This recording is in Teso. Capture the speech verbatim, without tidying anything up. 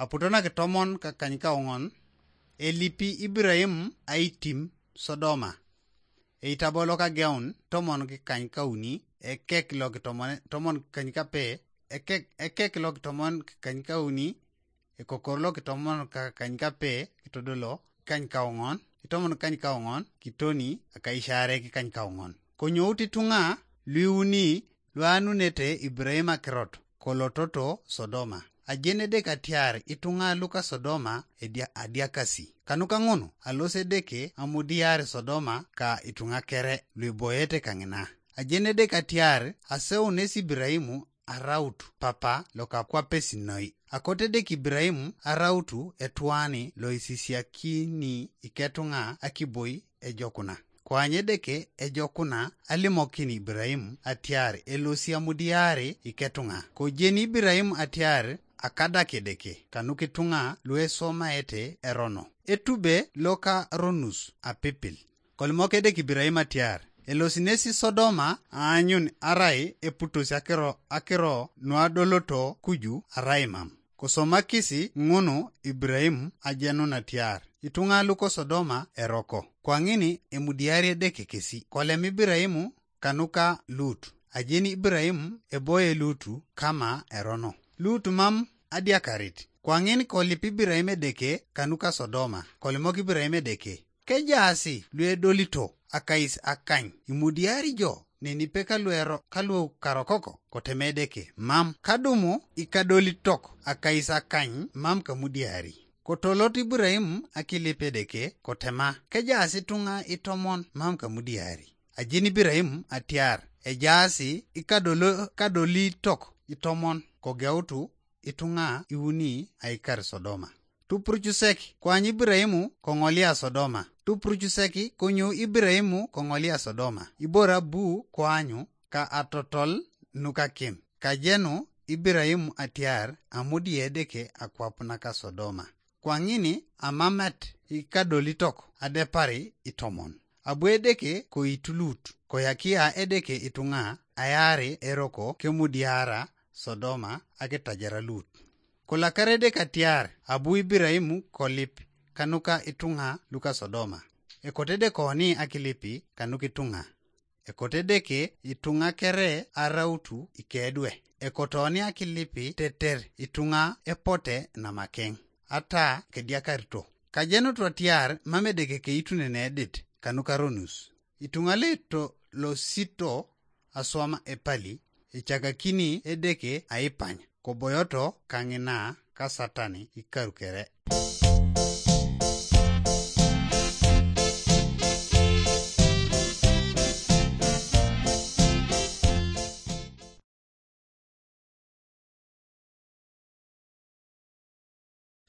Aputo nakitomon kakanykaoŋon, elipi Ibrahim aitim Sodoma. Eitabo lokageun tomon kikanykauni, ekek lokitomon tomon kikanykape, ekek, ekek lokitomon kikanykauni, ekokor lokitomon kakanykape kitodolo kikanykaoŋon, itomon kikanykaoŋon kitoni akaishaare kikanykaoŋon. Konyout ituŋa luiuni luanunete Ibrahim akirot kolototo Sodoma. Ajenedek atiar ituŋa luka Sodoma edia-, adiakasi. Kanuka ŋun, alosi Edeke amudiar Sodoma ka ituŋa kere luiboyete kaŋina. Ajenedek atiar aseunes Ibrahim araut papa lokakwapesi noi. Akote Edeke Ibrahim arautu etuani loisisiakini iketuŋa akiboi ejokuna. Koany Edeke ejokuna alimokin Ibrahim atiar elosi amudiari iketuŋa. Kojeni Ibrahim atiar akadak Edeke kanukituŋa luesomaete erono. Etube lokaronus apipil. Kolimok Edeke Ibrahim atiar elosi nesi Sodoma aanyun arai eputos akiro, akiro nuadoloto kuju arai mam. Kosomakisi ŋunu Ibrahim ajenun atiar ituŋa luko Sodoma eroko. Kwaŋin emudiari Edeke kesi. Kolem Ibrahim kanuka Lut. Ajeni Ibrahim eboye Lutu kama erono. Lut mam adiakarit. Kwaŋin kolip Ibrahim Edeke kanuka Sodoma. Kolimok Ibrahim Edeke, kejaasi luedolito akais akany imudiari jo nenipe kaluero kalukarokoko? Kotema Edeke, mam. Kadumu ikadolitok akais akany mam kamudiari. Kotolot Ibrahim akilip Edeke kotema, kejaasi ituŋa itomon mam kamudiari. Ajeni Ibrahim atiar ejaasi ikadolo-, kadolitok itomon kogeutu ituŋa iuni aikar Sodoma. Tupurucusek koany Ibrahim koŋolia Sodoma. Tupurucusek konyo Ibrahim koŋolia Sodoma. Ibore abu koanyu ka atotol nukakim. Kajenu Ibrahim atiar amudie Edeke akwap naka Sodoma. Kwaŋin amamet ikadolitok adepar itomon. Abu Edeke koitulut, koyakia Edeke ituŋa ayaari eroko kemudiara Sodoma akitajara Lut. Kolakar Edeke atiar abu Ibrahim kolip kanuka ituŋa luka Sodoma. Ekote Edeke oni akilipi kanuka ituŋa. Ekote Edeke ituŋa kere arautu ikedwe. Ekotoni akilipi teter ituŋa epote namakeŋ. Ata kediakarito. Kajenutu atiar mam Edeke keitunene edit kanuka ronus. Ituŋa leto losito aswam epali, ecakakini Edeke aipany, koboyoto kaŋina ka Satan ikarukere.